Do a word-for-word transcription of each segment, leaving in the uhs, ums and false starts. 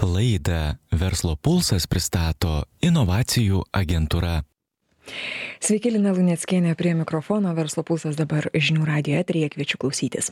Laidą Verslo pulsas pristato inovacijų agentūra. Sveiki, Lina Luneckienė prie mikrofono, Verslo pulsas dabar žinių radijo eteryje, kviečiu klausytis.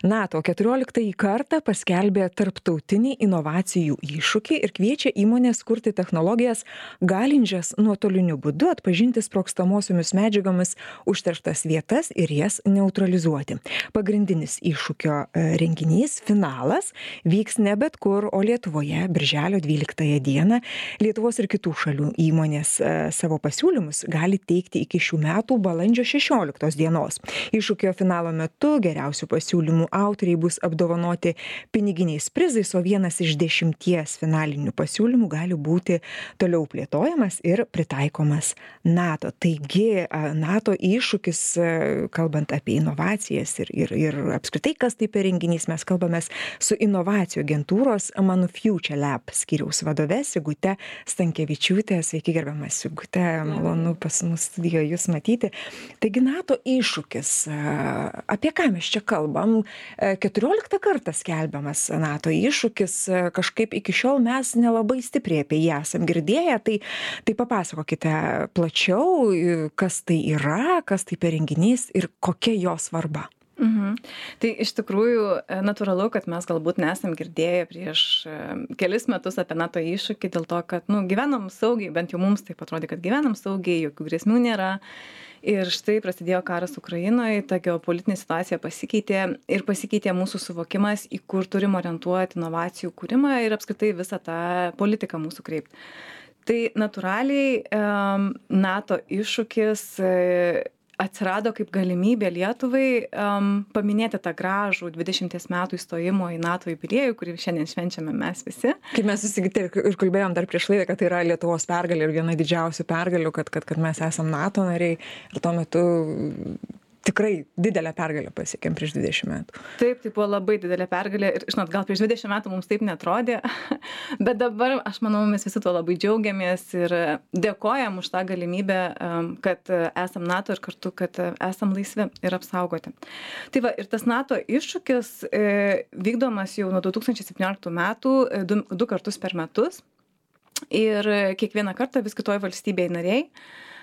NATO keturioliktąjį kartą paskelbė tarptautinį inovacijų iššūkį ir kviečia įmonės kurti technologijas galinčias nuotoliniu būdu atpažinti sprogstamosiomis medžiagomis užterštas vietas ir jas neutralizuoti. Pagrindinis iššūkio renginys, finalas, vyks ne bet kur, o Lietuvoje birželio dvyliktąją dieną. Lietuvos ir kitų šalių įmonės savo pasiūlymus gali teikti iki šių metų balandžio šešioliktos dienos. Iššūkio finalo metu geriausių pasiūlymų autoriai bus apdovanoti piniginiais prizais, o vienas iš dešimties finalinių pasiūlymų gali būti toliau plėtojamas ir pritaikomas NATO. Taigi, NATO iššūkis, kalbant apie inovacijas ir, ir, ir apskritai, kas tai per renginys, mes kalbamės su inovacijų agentūros Manufuture Lab skyriaus vadove Sigute Stankevičiūtė. Sveiki, gerbiama Sigute, malonu pas mus studijoje jūs matyti. Taigi NATO iššūkis, apie ką mes čia kalbam? keturioliktą kartą skelbiamas NATO iššūkis, kažkaip iki šiol mes nelabai stipriai apie jį esam girdėję, tai, tai papasakokite plačiau, kas tai yra, kas tai per renginys ir kokia jo svarba. Mhm. Tai iš tikrųjų natūralu, kad mes galbūt nesam girdėję prieš kelis metus apie NATO iššūkį dėl to, kad nu, gyvenam saugiai, bent jau mums taip atrodė, kad gyvenam saugiai, jokių grėsmių nėra. Ir štai prasidėjo karas Ukrainoje, ta geopolitinė situacija pasikeitė ir pasikeitė mūsų suvokimas, į kur turim orientuoti inovacijų kūrimą ir apskritai visą tą politiką mūsų kreipti. Tai natūraliai NATO iššūkis atsirado kaip galimybė Lietuvai um, paminėti tą gražų dvidešimties metų įstojimo į NATO jubiliejų, kurį šiandien švenčiame mes visi. Kaip mes susigirdė ir kalbėjom dar prieš laidą, kad tai yra Lietuvos pergalė ir viena didžiausių pergalių, kad, kad, kad mes esam NATO nariai ir tuo metu tikrai didelę pergalę pasiekėm prieš dvidešimt metų. Taip, tai buvo labai didelė pergalė ir, žinot, gal prieš dvidešimt metų mums taip netrodė, bet dabar, aš manau, mes visi tuo labai džiaugiamės ir dėkojam už tą galimybę, kad esam NATO ir kartu, kad esam laisvi ir apsaugoti. Tai va, ir tas NATO iššūkis vykdomas jau nuo du tūkstančiai septynioliktų metų du, du kartus per metus ir kiekvieną kartą vis kitoj valstybėje nariai.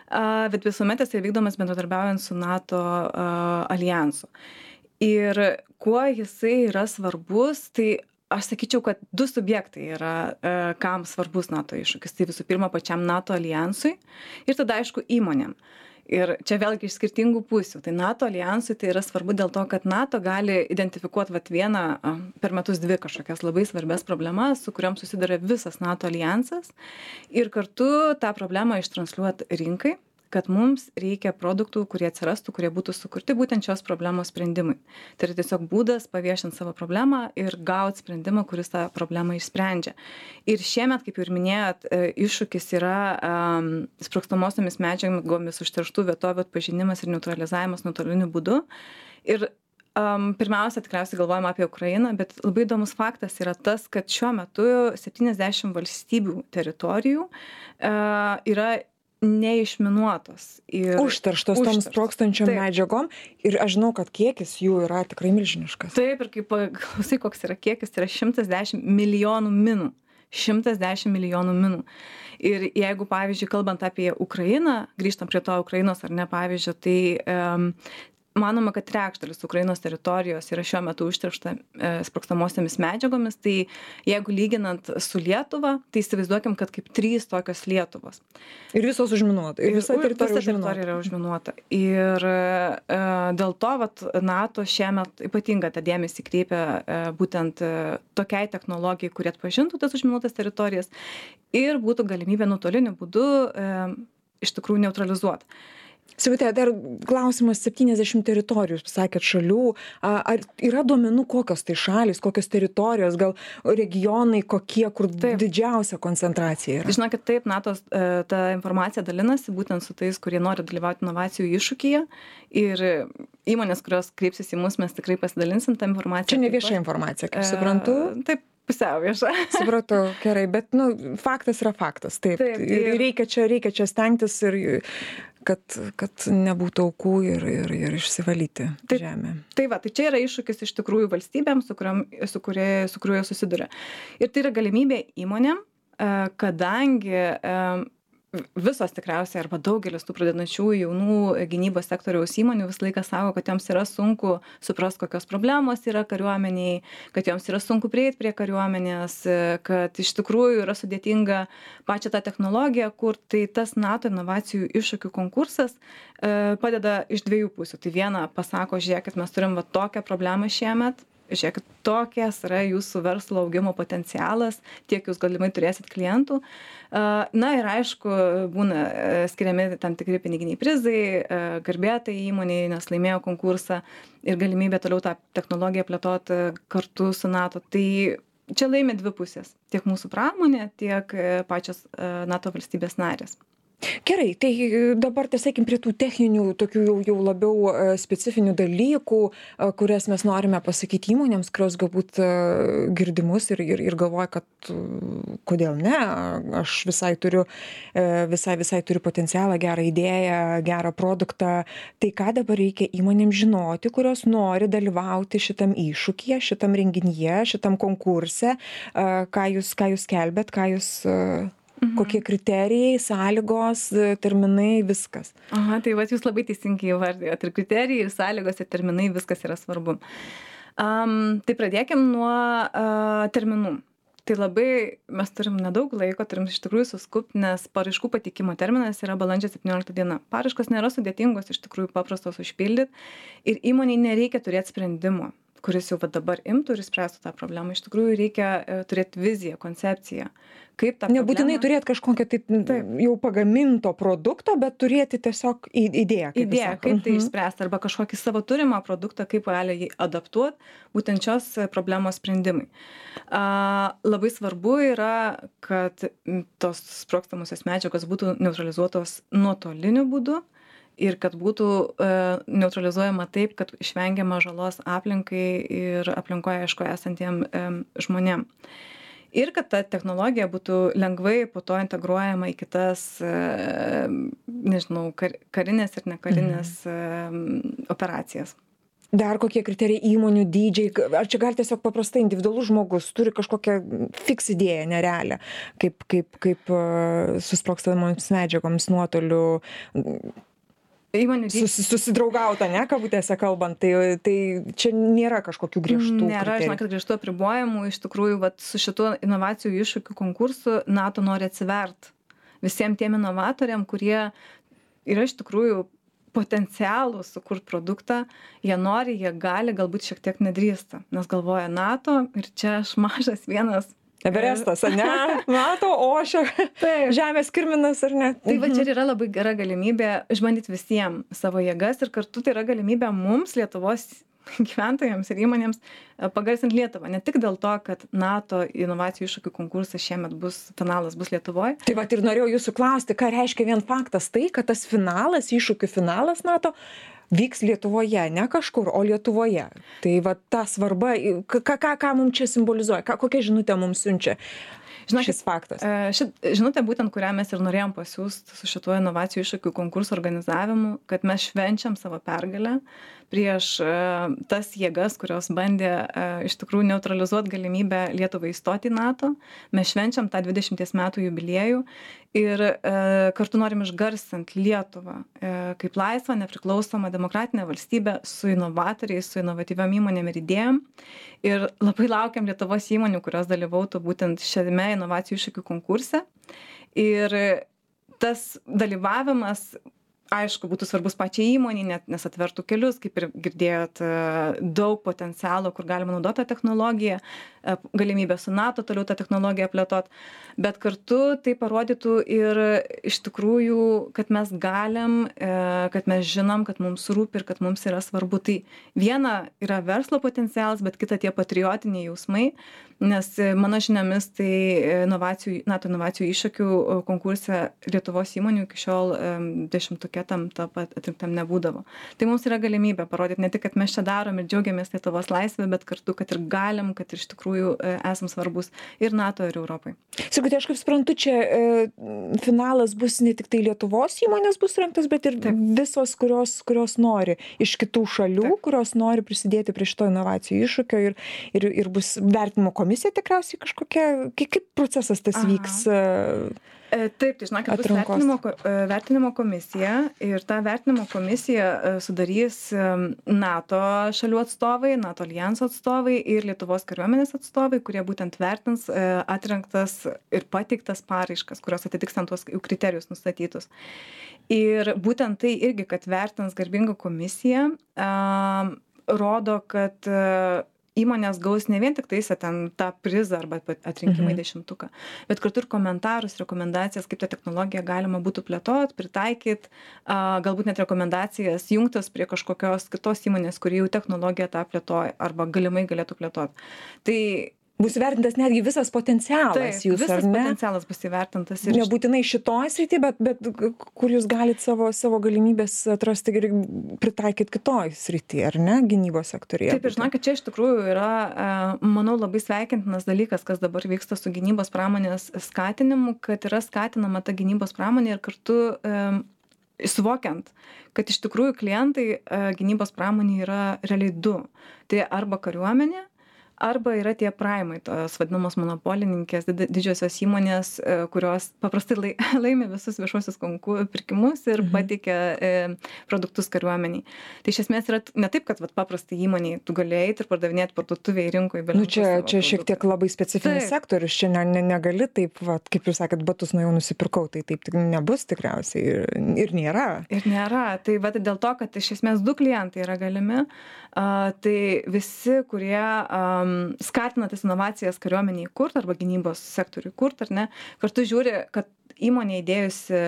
Bet visuomet jis vykdomas bendradarbiaujant su NATO uh, alijansu. Ir kuo jisai yra svarbus, tai aš sakyčiau, kad du subjektai yra, uh, kam svarbus NATO iššūkis. Tai visų pirma pačiam NATO alijansui ir tada aišku įmonėm. Ir čia vėlgi iš skirtingų pusių. Tai NATO alijansui tai yra svarbu dėl to, kad NATO gali identifikuoti vat vieną per metus dvi kažkokias labai svarbias problemas, su kuriuom susiduria visas NATO alijansas. Ir kartu tą problemą ištransliuoti rinkai, kad mums reikia produktų, kurie atsirastų, kurie būtų sukurti būtent šios problemos sprendimui. Tai yra tiesiog būdas paviešinti savo problemą ir gauti sprendimą, kuris tą problemą išsprendžia. Ir šiemet, kaip ir minėjot, iššūkis yra um, sprogstamosiomis medžiagomis užterštų vietovių atpažinimas ir neutralizavimas nuotoliniu būdu. Ir um, pirmiausia, tikriausiai galvojame apie Ukrainą, bet labai įdomus faktas yra tas, kad šiuo metu septyniasdešimt valstybių teritorijų uh, yra neišminuotos. Ir užterštos tom sprogstančiom medžiagom ir aš žinau, kad kiekis jų yra tikrai milžiniškas. Taip, ir kaip klausai, koks yra kiekis, tai yra šimtas dešimt milijonų minų. šimtas dešimt milijonų minų. Ir jeigu, pavyzdžiui, kalbant apie Ukrainą, grįžtam prie to Ukrainos ar ne pavyzdžio, tai um, manoma, kad trečdalis Ukrainos teritorijos yra šiuo metu užteršta e, sprogstamosiomis medžiagomis, tai jeigu lyginant su Lietuva, tai įsivaizduokim, kad kaip trys tokios Lietuvos. Ir visos užminuota. Ir visa teritorija, visa teritorija yra užminuota. Ir e, dėl to vat, NATO šiemet ypatingą tą dėmesį kreipia e, būtent e, tokiai technologijai, kurie atpažintų tas užminuotas teritorijas ir būtų galimybė nuotoliniu būdu e, iš tikrųjų neutralizuoti. Sigute, dar klausimas, septyniasdešimt teritorijų, pasakėt, šalių. Ar yra duomenų, kokios tai šalys, kokios teritorijos, gal regionai, kokie, kur taip. Didžiausia koncentracija yra? Žinokit, taip, NATO ta informacija dalinasi būtent su tais, kurie nori dalyvauti inovacijų iššūkyje. Ir įmonės, kurios kreipsis į mus, mes tikrai pasidalinsim tą informaciją. Čia ne vieša informacija, kaip suprantu. E, taip. Pusiau vieša. Supratau, gerai, bet nu, faktas yra faktas. Taip, taip ir reikia čia, reikia čia stengtis ir kad, kad nebūtų aukų ir, ir, ir išsivalyti tai, žemę. Tai va, tai čia yra iššūkis iš tikrųjų valstybėms, su, kuriam, su, kurie, su kuriuo susiduria. Ir tai yra galimybė įmonėm, kadangi visos tikriausiai arba daugelis tų pradedančių jaunų gynybos sektoriaus įmonių visą laiką sako, kad joms yra sunku suprasti, kokios problemos yra kariuomeniai, kad joms yra sunku prieiti prie kariuomenės, kad iš tikrųjų yra sudėtinga pačią tą technologiją, kur tai tas NATO inovacijų iššūkių konkursas padeda iš dviejų pusių. Tai viena pasako, žiūrėkit, mes turim va tokią problemą šiemet, žiūrėkit, tokias yra jūsų verslo augimo potencialas, tiek jūs galimai turėsit klientų. Na ir aišku, būna skiriami tam tikri piniginiai prizai, garbėtai įmoniai, nes laimėjo konkursą ir galimybė toliau tą technologiją plėtoti kartu su NATO. Tai čia laimi dvi pusės, tiek mūsų pramonė, tiek pačios NATO valstybės narės. Gerai, tai dabar tiesiog prie tų techninių, tokių jau, jau labiau specifinių dalykų, kurias mes norime pasakyti įmonėms, kurios galbūt girdimus ir, ir, ir galvoja, kad kodėl ne, aš visai turiu, visai, visai turiu potencialą, gerą idėją, gerą produktą. Tai ką dabar reikia įmonėms žinoti, kurios nori dalyvauti šitam iššūkyje, šitam renginyje, šitam konkurse, ką jūs, ką jūs kelbėt, ką jūs... Mhm. Kokie kriterijai, sąlygos, terminai, viskas. Aha, tai va, jūs labai teisingai įvardėjote. Ir kriterijai, ir sąlygos, ir terminai, viskas yra svarbu. Um, tai pradėkim nuo uh, terminų. Tai labai mes turim nedaug laiko, turim iš tikrųjų suskupti, nes paraiškų pateikimo terminas yra balandžio septyniolikta diena. Paraiškos nėra sudėtingos, iš tikrųjų paprastos užpildyti ir įmoniai nereikia turėti sprendimo, kuris jau va dabar imtų ir spręstų tą problemą. Iš tikrųjų reikia uh, turėti viziją, koncepciją. Kaip tą nebūtinai problemą... turėti kažkokią tai Taip. jau pagaminto produkto, bet turėti tiesiog idėją. Kaip idėją, kaip tai išspręsti, arba kažkokį savo turimą produktą, kaip gali jį adaptuoti būtent šios problemos sprendimai. A, labai svarbu yra, kad tos sprogstamusios medžiagos būtų neutralizuotos nuotoliniu būdu ir kad būtų e, neutralizuojama taip, kad išvengiama žalos aplinkai ir aplinkoje, aišku, esantiem e, žmonėm. Ir kad ta technologija būtų lengvai po to integruojama į kitas, nežinau, kar, karinės ir nekarinės mhm. operacijas. Dar kokie kriterijai įmonių dydžiai? Ar čia gali tiesiog paprastai individualus žmogus turi kažkokią fiks idėją, nerealią, kaip, kaip, kaip susprogstamoms medžiagoms nuotoliu Sus, susidraugauta, ne, kabutėse kalbant, tai, tai čia nėra kažkokių griežtų Nėra, žinok, kad griežtų apribojimų, iš tikrųjų, vat, su šituo inovacijų iššūkių konkursu NATO nori atsivert visiems tiem inovatoriam, kurie yra iš tikrųjų potencialų sukurti produktą, jie nori, jie gali, galbūt šiek tiek nedrįsta, nes galvoja NATO ir čia aš mažas vienas. Everestas, ar ne? NATO, ošia, žemės kirminas, ar ne? Tai va čia yra labai gera galimybė išbandyti visiems savo jėgas ir kartu tai yra galimybė mums, Lietuvos gyventojams ir įmonėms, pagarsinti Lietuvą. Ne tik dėl to, kad NATO inovacijų iššūkių konkursas šiemet bus, finalas bus Lietuvoje. Tai va ir norėjau jūsų klausti, ką reiškia vien faktas tai, kad tas finalas, iššūkių finalas NATO vyks Lietuvoje, ne kažkur, o Lietuvoje. Tai va ta svarba, ką, ką, ką mums čia simbolizuoja, ką, kokią žinutę mums siunčia Žinokit, šis faktas. Šit žinutė būtent, kurią mes ir norėjom pasiūsti su šituo inovacijų iššūkių konkurso organizavimu, kad mes švenčiam savo pergalę prieš tas jėgas, kurios bandė iš tikrųjų neutralizuoti galimybę Lietuvai įstoti į NATO. Mes švenčiam tą dvidešimties metų jubiliejų ir kartu norim išgarsinti Lietuvą kaip laisvą, nepriklausomą demokratinę valstybę su inovatoriais, su inovatyviom įmonėm ir idėjom. Ir labai laukiam Lietuvos įmonių, kurios dalyvautų būtent šiame inovacijų iššūkių konkurse. Ir tas dalyvavimas, aišku, būtų svarbus pačiai įmonei, net nes atvertų kelius, kaip ir girdėjot, daug potencialo, kur galima naudoti tą technologiją, galimybę su NATO toliau tą technologiją plėtot, bet kartu tai parodytų ir iš tikrųjų, kad mes galim, kad mes žinom, kad mums rūpi ir kad mums yra svarbu. Tai viena yra verslo potencialas, bet kita tie patriotiniai jausmai, nes mano žiniomis tai inovacijų, NATO inovacijų iššūkių konkurse Lietuvos įmonių iki šiol dešimtuke tam atrinktam nebūdavo. Tai mums yra galimybė parodyti ne tik, kad mes čia darom ir džiaugiamės Lietuvos laisvę, bet kartu, kad ir galim, kad iš tikrųjų tikrųjų esam svarbus ir NATO, ir Europai. Sigutė, aš kaip suprantu, čia e, finalas bus ne tik tai Lietuvos įmonės bus rengtos, bet ir Taip. visos, kurios, kurios nori iš kitų šalių, Taip. kurios nori prisidėti prie šito inovacijų iššūkio ir, ir, ir bus vertinimo komisija tikriausiai kažkokia, kaip, kaip procesas tas Aha. vyks? E, Taip, tai žinokit, bus vertinimo, vertinimo komisija ir tą vertinimo komisiją sudarys NATO šalių atstovai, NATO aljanso atstovai ir Lietuvos kariuomenės atstovai, kurie būtent vertins atrinktas ir pateiktas paraiškas, kurios atitiks ant tuos kriterijus nustatytus. Ir būtent tai irgi, kad vertins garbinga komisija, rodo, kad įmonės gaus ne vien tik tais ten tą prizą arba atrinkimą į mhm. dešimtuką, bet kartu ir komentarus, rekomendacijas, kaip tą technologiją galima būtų plėtot, pritaikyt, galbūt net rekomendacijas jungtas prie kažkokios kitos įmonės, kuri jau technologiją tą plėtoja arba galimai galėtų plėtot. Tai bus įvertintas netgi visas potencialas Taip, jūsų, visas ar ne? potencialas bus įvertintas. Ir nebūtinai šitoj srity, bet, bet kur jūs galite savo, savo galimybės atrasti ir pritaikyti kitoj srity, ar ne, gynybos sektorija? Taip, ir žinokit, čia iš tikrųjų yra, manau, labai sveikintinas dalykas, kas dabar vyksta su gynybos pramonės skatinimu, kad yra skatinama ta gynybos pramonė ir kartu um, suvokiant, kad iš tikrųjų klientai uh, gynybos pramonė yra realiai du. Tai arba kariuomenė, arba yra tie praimai, tos vadinamos monopolininkės, didžiosios įmonės, kurios paprastai laimi visus viešuosius konkursų pirkimus ir mhm. pateikia e, produktus kariuomeniai. Tai iš esmės yra ne taip, kad vat, paprastai įmoniai tu gali eiti ir pardavinėti parduotuvėje rinkoje. Nu, čia čia šiek tiek labai specifinis taip. sektorius, čia ne, ne, negali taip, vat, kaip jūs sakėt, batus nuo jau nusipirkau, tai taip tik nebus tikriausiai ir, ir nėra. Ir nėra. Tai vat, dėl to, kad iš esmės du klientai yra galimi, a, tai visi, kurie a, skatina tas inovacijas kariuomeniai kurt arba gynybos sektoriui kurt, ar ne, kartu žiūri, kad įmonė įdėjusi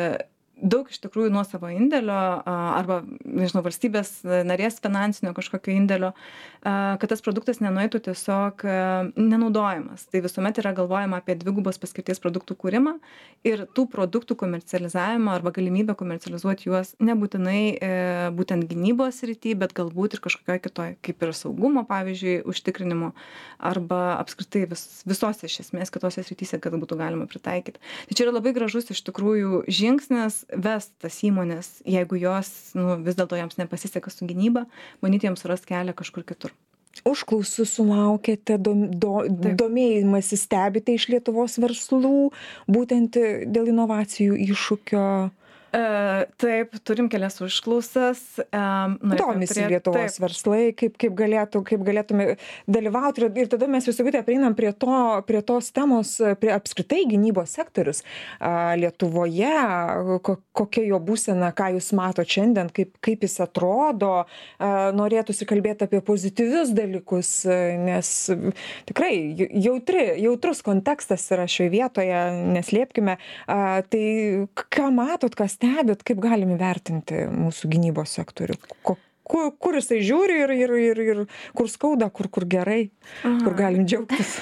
daug iš tikrųjų nuo savo indėlio arba, nežinau, valstybės narės finansinio kažkokio indėlio, kad tas produktas nenueitų tiesiog nenaudojamas. Tai visuomet yra galvojama apie dvigubos paskirties produktų kūrimą ir tų produktų komercializavimą arba galimybę komercializuoti juos nebūtinai e, būtent gynybos srity, bet galbūt ir kažkokioje kitoje, kaip ir saugumo, pavyzdžiui, užtikrinimo arba apskritai vis, visose iš esmės kitose srityse, kad būtų galima pritaikyti. Tai čia yra labai gražus iš tikrųjų žingsnis vest tas įmonės, jeigu jos, nu, vis dėlto jiems nepasiseka su gynyba, bandyti jiems surast kelią kažkur kitur. Užklausų sulaukėte, dom, do, domėjimąsi stebite iš Lietuvos verslų, būtent dėl inovacijų iššūkio? E, taip, turim kelias užklausas. E, Domisi prie, Lietuvos taip. verslai, kaip, kaip, galėtų, kaip galėtume dalyvauti. Ir, ir tada mes visų kitą prieinam prie, to, prie tos temos, prie apskritai gynybos sektorius a, Lietuvoje, ko, kokia jo būsena, ką jūs mato šiandien, kaip, kaip jis atrodo. A, norėtųsi kalbėti apie pozityvius dalykus, nes tikrai jautri, jautrus kontekstas yra šioje vietoje, neslėpkime. A, tai ką matot, kas stebit, kaip galime vertinti mūsų gynybos sektorių? Ko, kur, kur jisai žiūri ir, ir, ir, ir kur skauda, kur, kur gerai, Aha. kur galim džiaugtis?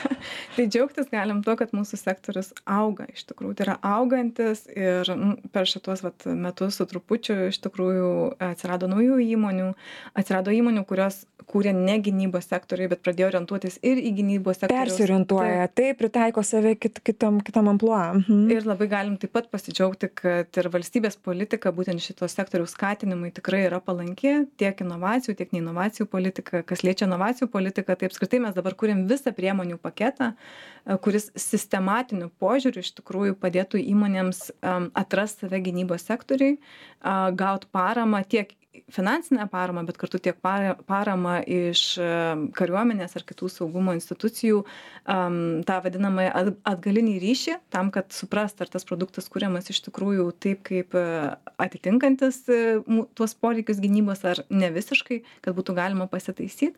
Tai džiaugtis galim tuo, kad mūsų sektorius auga iš tikrųjų. Tai yra augantis ir nu, per šitos vat, metus su trupučiu iš tikrųjų atsirado naujų įmonių, atsirado įmonių, kurios kūrė ne gynybos sektoriui, bet pradėjo orientuotis ir į gynybos sektorių. Persiorientuoja, tai, tai pritaiko save kit, kitam, kitam amplua. Mhm. Ir labai galim taip pat pasidžiaugti, kad ir valstybės politika būtent šitos sektoriaus skatinimui tikrai yra palanki, tiek inovacijų, tiek ne inovacijų politika. Kas liečia inovacijų politiką, tai apskritai mes dabar kūrėm visą priemonių paketą, kuris sistematiniu požiūriu iš tikrųjų padėtų įmonėms um, atrasti save gynybos sektoriui, uh, gauti paramą tiek finansinę paramą, bet kartu tiek paramą iš kariuomenės ar kitų saugumo institucijų, um, tą vadinamą atgalinį ryšį, tam, kad suprast, ar tas produktas kuriamas iš tikrųjų taip, kaip atitinkantis tuos poreikius gynybos, ar ne visiškai, kad būtų galima pasitaisyti.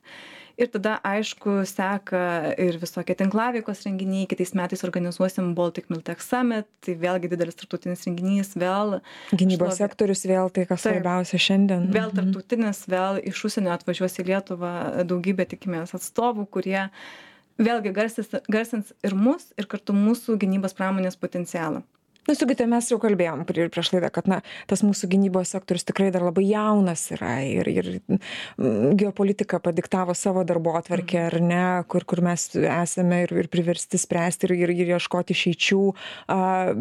Ir tada, aišku, seka ir visokie tinklaveikos renginiai. Kitais metais organizuosim Baltic Miltech Summit, tai vėlgi didelis tarptautinis renginys, vėl gynybos šlovė... sektorius, vėl tai, kas svarbiausia šiandien. Vėl tarptautinis, vėl iš užsienio atvažiuos į Lietuvą daugybė, tikimės, atstovų, kurie vėlgi garsins, garsins ir mus, ir kartu mūsų gynybos pramonės potencialą. Nu, Sigute, mes jau kalbėjom prie, prieš laidą, kad na, tas mūsų gynybos sektorius tikrai dar labai jaunas yra ir, ir geopolitika padiktavo savo darbo atvarkę, ar ne, kur, kur mes esame ir, ir priversti spręsti ir, ir, ir ieškoti išeičių,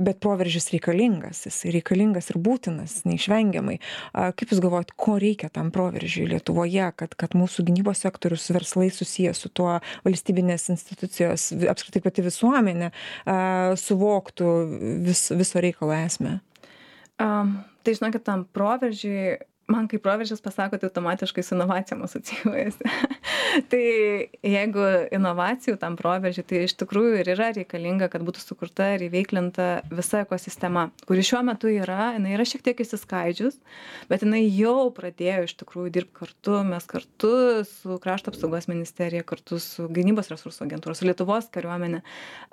bet proveržis reikalingas, jis reikalingas ir būtinas, neišvengiamai. Kaip Jūs galvojat, ko reikia tam proveržiui Lietuvoje, kad, kad mūsų gynybos sektorius verslai susijęs su tuo, valstybinės institucijos, apskritai pati visuomenė suvoktų vis viso reikalo esmę? Um, tai žinokit, tam proveržiui, man kaip proveržis pasako, tai automatiškai su inovacijom asocijuojasi. Tai jeigu inovacijų tam proveržiui, tai iš tikrųjų ir yra reikalinga, kad būtų sukurta ir įveiklinta visa ekosistema, kuri šiuo metu yra, jinai yra šiek tiek įsiskaidžius, bet jinai jau pradėjo iš tikrųjų dirbti kartu, mes kartu su Krašto apsaugos ministerija, kartu su Gynybos resursų agentūra, su Lietuvos kariuomenė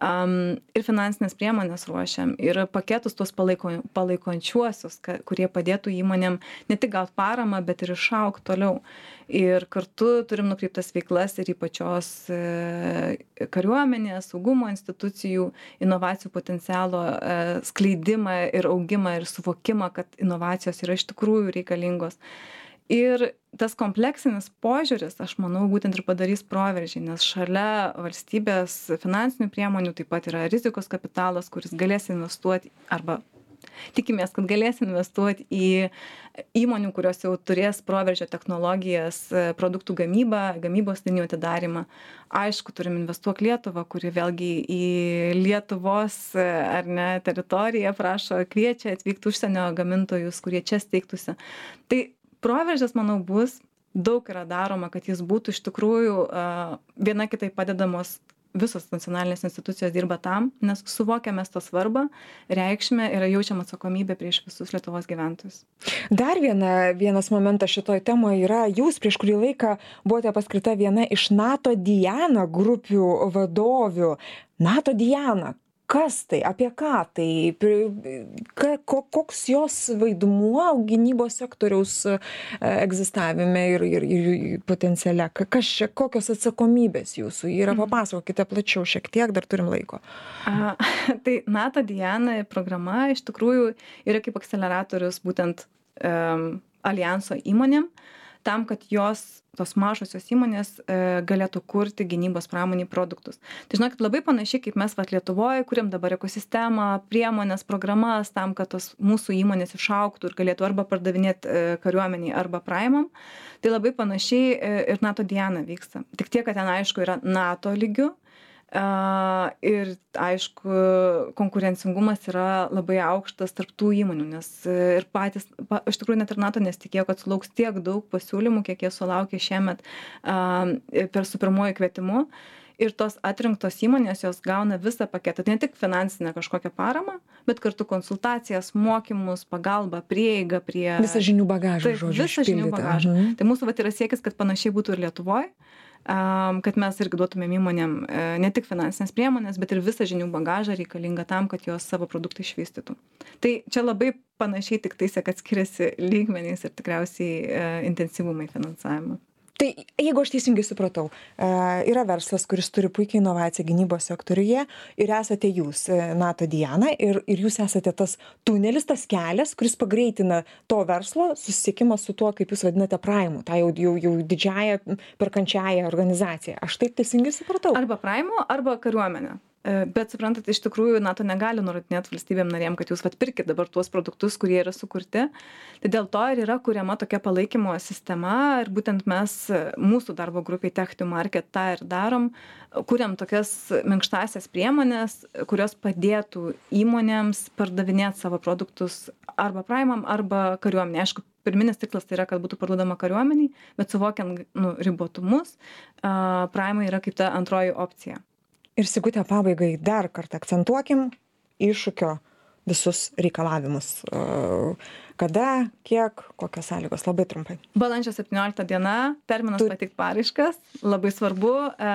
um, ir finansinės priemonės ruošiam, ir paketus tuos palaiko, palaikončiuosius, ka, kurie padėtų įmonėm ne tik gauti paramą, bet ir išaugti toliau. Ir kartu turim nukreiptas veiklas ir į pačios e, kariuomenės, saugumo institucijų, inovacijų potencialo e, skleidimą ir augimą ir suvokimą, kad inovacijos yra iš tikrųjų reikalingos. Ir tas kompleksinis požiūris, aš manau, būtent ir padarys proveržį, nes šalia valstybės finansinių priemonių taip pat yra rizikos kapitalas, kuris galės investuoti arba tikimės, kad galės investuoti į įmonių, kurios jau turės proveržio technologijas, produktų gamybą, gamybos linijų atidarimą. Aišku, turim investuok Lietuvą, kuri vėlgi į Lietuvos ar ne teritoriją prašo, kviečia atvykti užsienio gamintojus, kurie čia steigtųsi. Tai proveržis, manau, bus, daug yra daroma, kad jis būtų iš tikrųjų viena kitai padedamos. Visos nacionalinės institucijos dirba tam, nes suvokiame to svarbą, reikšmę ir jaučiam atsakomybę prieš visus Lietuvos gyventojus. Dar viena, vienas momentas šitoj temoje yra, jūs prieš kurį laiką buvote paskirta viena iš NATO Diana grupių vadovių. NATO Diana, kas tai, apie ką tai, koks jos vaidmuo gynybos sektoriaus egzistavime ir, ir, ir potenciale, kas čia, kokios atsakomybės jūsų yra, papasakokite plačiau šiek tiek, dar turim laiko. A, tai NATO Diana programa iš tikrųjų yra kaip akceleratorius būtent um, alijanso įmonėm, tam, kad jos, tos mažosios įmonės e, galėtų kurti gynybos pramonį produktus. Tai žinokit, labai panašiai, kaip mes vat Lietuvoje kuriam dabar ekosistemą, priemonės, programas tam, kad tos mūsų įmonės išaugtų ir galėtų arba pardavinėti e, kariuomeniai, arba praimam. Tai labai panašiai e, ir NATO Diana vyksta. Tik tiek, kad ten aišku yra NATO lygių. Uh, ir aišku, konkurencingumas yra labai aukštas tarp tų įmonių, nes ir patys, pa, iš tikrųjų net ir NATO nesitikėjo, kad sulauks tiek daug pasiūlymų, kiek jie sulaukė šiemet uh, per su pirmuoju kvietimu. Ir tos atrinktos įmonės, jos gauna visą paketą, ne tik finansinę kažkokią paramą, bet kartu konsultacijas, mokymus, pagalbą, prieigą prie... Visą žinių bagažą, tai, žodžiu, visą žinių bagažą. Mhm. Tai mūsų vat yra siekis, kad panašiai būtų ir Lietuvoje. Kad mes irgi duotumėm įmonėm ne tik finansinės priemonės, bet ir visą žinių bagažą reikalingą tam, kad jos savo produktą išvystytų. Tai čia labai panašiai tik tais, kad skiriasi lygmenys ir tikriausiai intensyvumai finansavimo. Tai jeigu aš teisingai supratau, yra verslas, kuris turi puikiai inovaciją gynybos sektoriuje ir esate jūs, NATO Diana, ir, ir jūs esate tas tunelis, tas kelias, kuris pagreitina to verslo susisiekimą su tuo, kaip jūs vadinate, Praimu, tą jau, jau, jau didžiąją perkančiąją organizaciją. Aš taip teisingai supratau? Arba Praimu, arba kariuomenė. Bet suprantat, iš tikrųjų NATO negali nurodinėti valstybėm narėm, kad jūs vat pirkit dabar tuos produktus, kurie yra sukurti. Tai dėl to ir yra kuriama tokia palaikymo sistema ir būtent mes mūsų darbo grupiai Tech to Market tą ir darom, kuriam tokias minkštasias priemonės, kurios padėtų įmonėms pardavinėti savo produktus arba Praimam, arba kariuomenė. Aišku, pirminis tikslas tai yra, kad būtų parduodama kariuomeniai, bet suvokiant nu, ribotumus, uh, Praimai yra kaip ta antroji opcija. Ir Sigute, pabaigai dar kartą akcentuokim iššūkio visus reikalavimus. Kada, kiek, kokios sąlygos? Labai trumpai. Balandžio septyniolikta diena, terminas tu... pateikti paraiškas. Labai svarbu, e,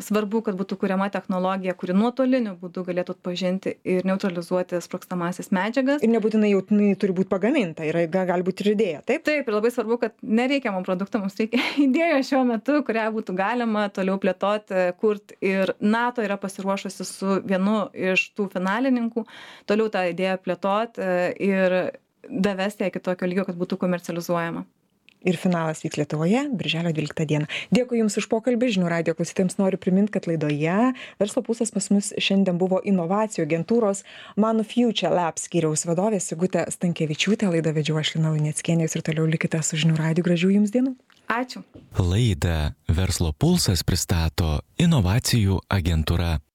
svarbu, kad būtų kuriama technologija, kuri nuotoliniu būdu galėtų atpažinti ir neutralizuoti sprogstamasis medžiagas. Ir nebūtinai jau turi būti pagaminta, yra, gali būti ir idėja, taip? Taip, ir labai svarbu, kad nereikia mums produktų, mums reikia idėjos šiuo metu, kurią būtų galima toliau plėtoti, kurti. Ir NATO yra pasiruošusi su vienu iš tų finalininkų toliau tą idėją plėtoti ir davesti ją iki tokio lygio, kad būtų komercializuojama. Ir finalas vyks Lietuvoje, birželio dvyliktą dieną. Dėkui Jums už pokalbį. Žinių radijo klausytojams noriu priminti, kad laidoje Verslo pulsas pas mus šiandien buvo inovacijų agentūros Manu Future Labs skyriaus vadovė Sigutė Stankevičiūtė. Laidą vedžiau aš Lina Luneckienė ir toliau likite su Žinių radiju. Gražių Jums dienų. Ačiū. Laidą Verslo pulsas pristato inovacijų agentūra.